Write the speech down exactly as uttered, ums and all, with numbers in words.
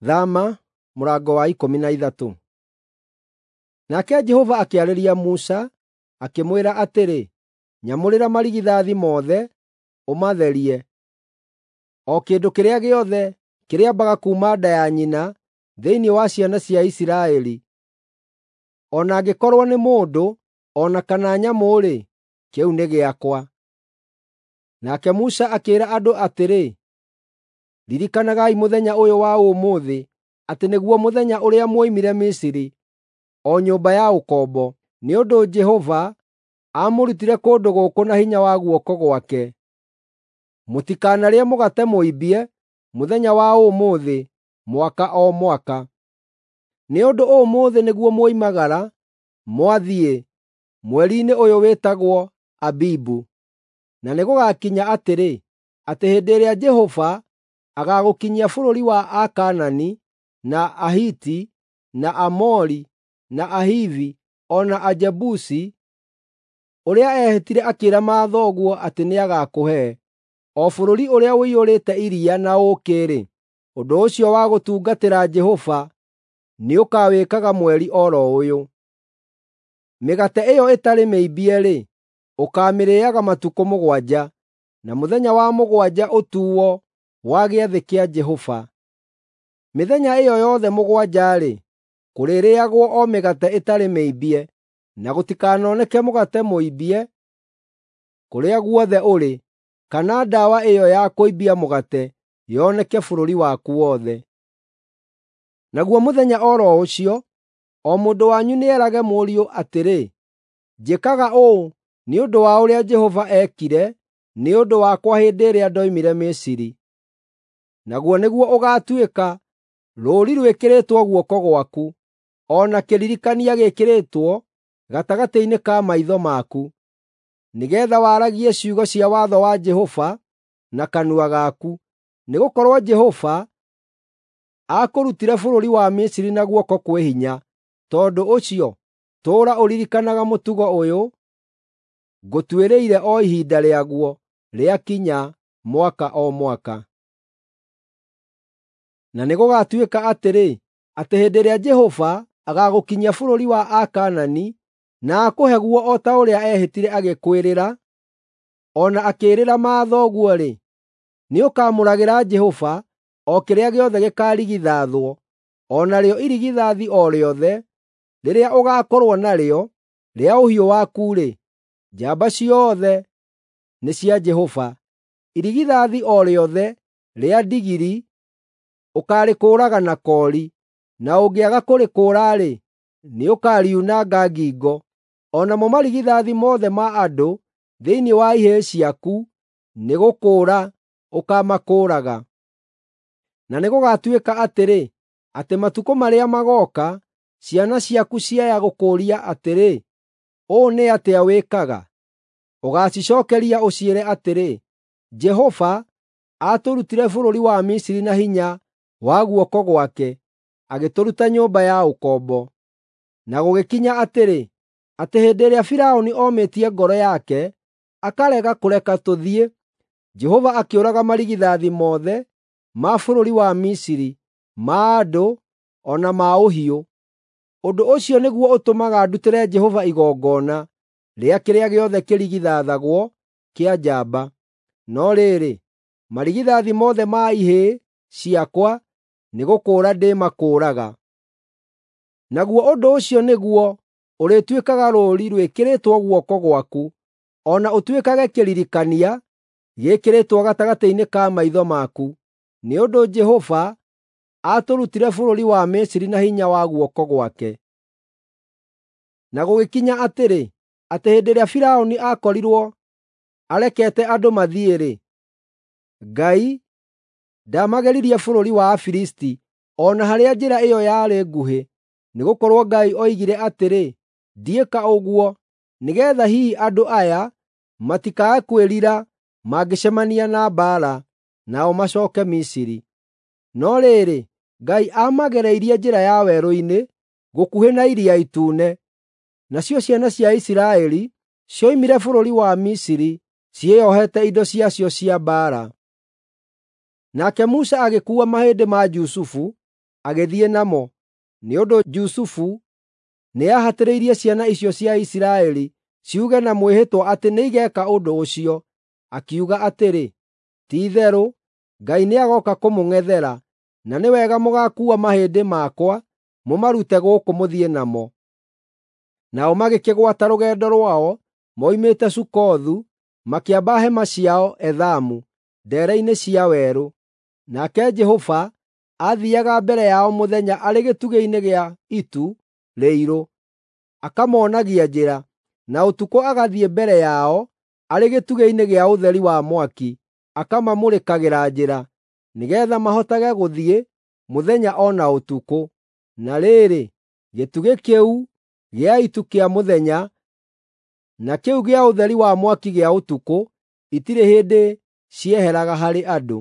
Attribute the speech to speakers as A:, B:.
A: Thama mũrango wa ikũmi na ithatũ. Nake Jehova akĩarĩria Musa, akĩmwĩra atĩrĩ, “Nyamũrĩra marigithathi mothe, ũmatherie. O kĩndũ kĩrĩa gĩothe kĩrĩambaga kuuma nda ya nyina thĩinĩ wa ciana cia Isiraeli, o na angĩkorwo nĩ mũndũ o na kana nyamũ-rĩ, kĩu nĩ gĩakwa.” Nake Musa akĩĩra andũ atĩrĩ, “Ririkanagai mũthenya ũyũ wa ũmũthĩ atĩ nĩguo mũthenya ũrĩa mwoimire Misiri, o nyũmba ya ũkombo, nĩ ũndũ Jehova aamũrutire kũndũ gũkũ na hinya wa guoko gwake. Mũtikanarĩe mũgate mũimbie mũthenya wa ũmũthĩ mwaka o mwaka. Nĩ ũndũ ũmũthĩ nĩguo mwoimagara mwathiĩ mweri-inĩ ũyũ wĩtagwo Abibu. Na nĩgũgakinya atĩrĩ, atĩ hĩndĩ ĩrĩa Jehova agaagũkinyia bũrũri wa Akaanani, na Ahiti, na Aamori, na Ahivi, o na Ajebusi, ũrĩa eehĩtire akĩĩra mathoguo atĩ nĩagakũhe, o bũrũri ũrĩa ũiyũrĩte iria na ũũkĩ-rĩ, ũndũ ũcio wa gũtungatĩra Jehova nĩũkawĩkaga mweri o ro ũyũ. Mĩgate ĩyo ĩtarĩ mĩimbie-rĩ, ũkaamĩrĩĩaga matukũ mũgwanja, na mũthenya wa mũgwanja ũtuo wa gĩathĩ kĩa Jehova. Mĩthenya ĩyo yothe mũgwanja-rĩ, kũrĩrĩĩagwo o mĩgate ĩtarĩ mĩimbie, na gũtikanoneke mũgate mũimbie kũrĩa guothe ũrĩ, kana ndawa ĩyo ya kũimbia mũgate yoneke bũrũri waku wothe. Naguo mũthenya o ro ũcio, o mũndũ wanyu nĩerage mũriũ atĩrĩ, “Njĩkaga ũũ nĩ ũndũ wa ũrĩa Jehova eekire nĩ ũndũ wakwa hĩndĩ ĩrĩa ndoimire Misiri.” Naguo nĩguo ũgaatuĩka rũũri rwĩkĩrĩtwo guoko gwaku, o na kĩririkania gĩĩkĩrĩtwo gatagatĩ-inĩ ka maitho maku, nĩgeetha waragie ciugo cia watho wa Jehova na kanua gaku. Nĩgũkorwo Jehova aakũrutire bũrũri wa Misiri na guoko kwĩ hinya. Tondũ ũcio tũũra ũririkanaga mũtugo ũyũ ngũtuĩrĩire o ihinda rĩaguo rĩakinya mwaka o mwaka. Na nĩgũgatuĩka atĩrĩ, atĩ hĩndĩ ĩrĩa Jehova agaagũkinyia bũrũri wa Akaanani na akũhe guo o ta ũrĩa eehĩtire agĩkwĩrĩra, o na akĩĩrĩra mathoguo-rĩ, nĩũkamũragĩra Jehova o kĩrĩa gĩothe gĩkaarigithathwo, o narĩo irigithathi o rĩothe rĩrĩa ũgaakorwo narĩo rĩa ũhiũ waku-rĩ, njamba ciothe nĩ cia Jehova. Irigithathi o rĩothe rĩa ndigiri ũkaarĩkũũraga na koori, na ũngĩaga kũrĩkũũra-rĩ, nĩũkariunanga ngingo. O namo marigithathi mothe ma andũ thĩinĩ wa ihĩĩ ciaku nĩgũkũũra ũkaamakũũraga. Na nĩgũgatuĩka atĩrĩ, atĩ matukũ marĩa magooka, ciana ciaku ciaya gũkũũria atĩrĩ, “Ũũ nĩ atĩa wĩkaga?” Ũgaacicookeria ũciĩre atĩrĩ, “Jehova aatũrutire bũrũri wa Misiri na hinya wa guoko gwake, agĩtũruta nyũmba ya ũkombo.” Na gũgĩkinya atĩrĩ, atĩ hĩndĩ ĩrĩa Firaũni omĩtie ngoro yake, akarega kũreka tũthiĩ, Jehova akĩũraga marigithathi mothe ma bũrũri wa Misiri, ma andũ o na ma ũhiũ. Ũndũ ũcio nĩguo ũtũmaga ndutĩre Jehova igongona rĩa kĩrĩa gĩothe kĩrigithathagwo kĩa njamba. No rĩrĩ, marigithathi mothe ma ihĩĩ ciakwa nĩgũkũũra ndĩmakũũraga. Naguo ũndũ ũcio nĩguo ũrĩtuĩkaga rũũri rwĩkĩrĩtwo guoko gwaku, o na ũtuĩkage kĩririkania gĩĩkĩrĩtwo gatagatĩ-inĩ ka maitho maku, nĩ ũndũ Jehova aatũrutire bũrũri wa Misiri na hinya wa guoko gwake. Na gũgĩkinya atĩrĩ, atĩ hĩndĩ ĩrĩa Firaũni aakorirwo arekete andũ mathiĩ-rĩ, Ngai ndaamageririe bũrũri wa Afilisti o na harĩa njĩra ĩyo yarĩ nguhĩ, nĩgũkorwo Ngai oigire atĩrĩ, “Ndiĩka ũguo nĩgeetha hihi andũ aya matikae kwĩrira mangĩcemania na mbaara, nao macooke Misiri.” No rĩrĩ, Ngai aamagereirie njĩra ya werũ-inĩ gũkuhĩ na Iria Itune. Nacio ciana cia Isiraeli cioimire bũrũri wa Misiri ciĩohete indo ciacio cia mbaara. Nake Musa agĩkuua mahĩndĩ ma Jusufu agĩthiĩ namo, nĩ ũndũ Jusufu nĩahatĩrĩirie ciana icio cia Isiraeli ciuge na mwĩhĩtwa atĩ nĩigeeka ũndũ ũcio, akiuga atĩrĩ, “Ti-itherũ Ngai nĩagooka kũmũng'ethera, na nĩ wega mũgaakuua mahĩndĩ makwa mũmarute gũkũ mũthiĩ namo.” Nao magĩkĩgwata rũgendo rwao moimĩte Sukothu, makĩamba hema ciao Ethamu, ndeere-inĩ cia werũ. Nake Jehova aathiiaga mbere yao mũthenya arĩ gĩtugĩ-inĩ gĩa itu rĩirũ, akamoonagia njĩra, na ũtukũ agathiĩ mbere yao arĩ gĩtugĩ-inĩ gĩa ũtheri wa mwaki, akamamũrĩkagĩra njĩra, nĩgeetha mahotage gũthiĩ mũthenya o na ũtukũ. Na rĩrĩ, gĩtugĩ kĩu gĩa itu kĩa mũthenya na kĩu gĩa ũtheri wa mwaki gĩa ũtukũ itirĩ hĩndĩ cieheraga harĩ andũ.